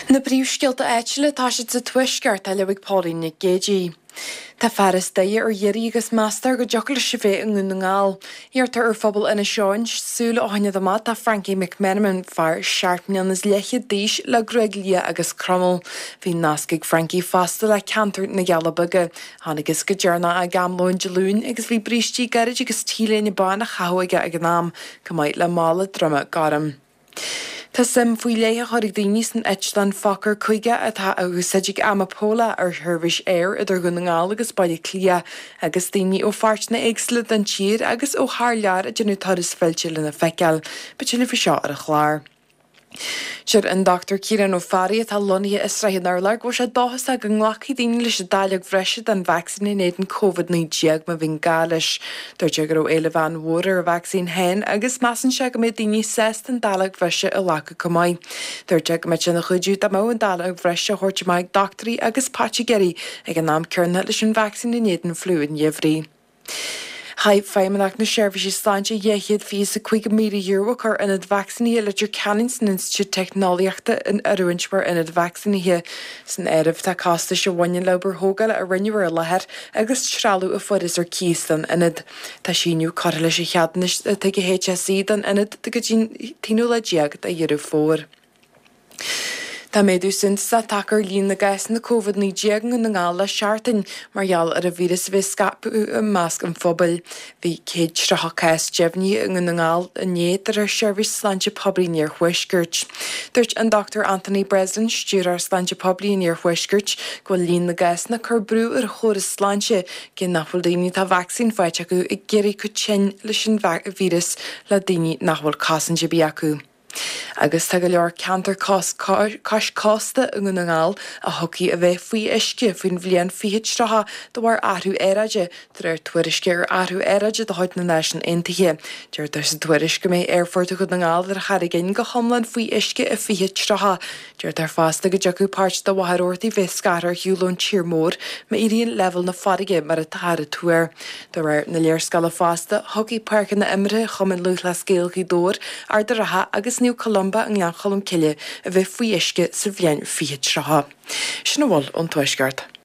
Na príomhscéalta áitiúla, tá siad sa Tuaisceart, á léamh ag Pauline Nic Géidigh. Tá fear as Doire ar iarraidh agus meastar go dtiocfadh leis a bheith i nDún na nGall. Iarrtar ar phobal Inis Eoghain súil a choinneáil amach do Frankie McMenamin, fear seacht mbliana is leathchéad d'aois le gruaig liath agus cromail. Bhí nasc ag Frankie fosta le ceantar na gCealla Beaga. Chonacthas go deireanach i gCaimleoin Dé Luain agus bhí brístí gairid agus t-léine bán á chaitheamh aige ag an am, chomh maith le mála droma gorm. Tá suim faoi leith á chur ag daoine san eitleán Fokker 50 atá á úsáid ag Amapola ar sheirbhís aeir idir Dhún na nGall agus Baile Átha Cliath agus daoine ó pháirteanna éagsúla den tír agus ó thar lear ag déanamh turas fillte lena feiceáil. Beidh tuilleadh faoi seo ar an chlár. Deir an Dr Ciarán Ó Fearraigh atá lonnaithe i Srath an Urláir go bhfuil sé dóchasach go nglacfaidh daoine leis an dáileog bhreise den vacsaín in éadan Covid-19 má bhíonn gá leis. Dúirt sé go raibh éileamh an-mhór ar an vacsaín féin agus measann sé go mbeidh daoine sásta an dáileog bhreise a ghlacadh chomh maith. Dúirt sé go mbeadh sé ina chuidiú dá mbeadh an dáileog bhreise á thabhairt amach ag dochtúirí agus poitigéirí ag an am céanna leis an vacsaín in éadan fliú an gheimhridh. Chaith Feidhmeannacht na Seirbhíse Sláinte €225,000 ag cur ionad vacsaínithe Leitir Ceanainn san Institiúid Teicneolaíochta in oiriúint mar ionad vacsaínithe. San áireamh tá costais a bhaineann le obair thógála a rinneadh ar an láthair agus trealamh a fuarthas ar cíos don ionad. Tá síneadh curtha leis an cheadúnas atá ag an HSE don ionad go dtí an t-aonú lá déag de Dheireadh Fómhair. Tá méadú suntasach tagtha ar líon na gcásanna Covid-19 i nDún na nGall le seachtain mar gheall ar an víreas a bheith ag scaipeadh i measc an phobail. Bhí 130 cás deimhnithe i nDún na nGall inné de réir Sheirbhís Sláinte Poiblí an Iarthuaiscirt. Dúirt an Dr Anthony Breslin, Stiúrthóir Sláinte Poiblí an Iarthuaiscirt, go bhfuil líon na gcásanna ag cur brú ar chóras sláinte cé nach bhfuil daoine atá vacsaín faighte acu ag éirí chomh tinn leis an víreas le daoine nach bhfuil cosaint ar bith acu. Agus tá go leor ceantar cois cósta i nDún na nGall a thiocfaidh a bheith faoi uisce faoin bhliain 2030 de bharr athrú aeráide, de réir tuairisce ar athrú aeráide de chuid na Náisiún Aontaithe. Deirtear sa tuairisc go mbeidh Aerfort Dhún na nGall ar Charraig Fhinn go hiomlán faoi uisce i 2030. Deirtear fosta go dtiocfadh páirt de Mhachaire Rabhartaigh bheith scartha ar shiúl ón tír mór má éiríonn leibhéal na farraige mar atáthar ag tuar. De réir na léarscáile fosta, thiocfadh páirceanna imeartha Chumann Lúthchleas Gael Ghaoth Dobhair, Ard an Rátha agus Naomh Columba i nGleann Cholm Cille a bheith faoi uisce sa bhliain 2030. Sin a bhfuil ón Tuaisceart.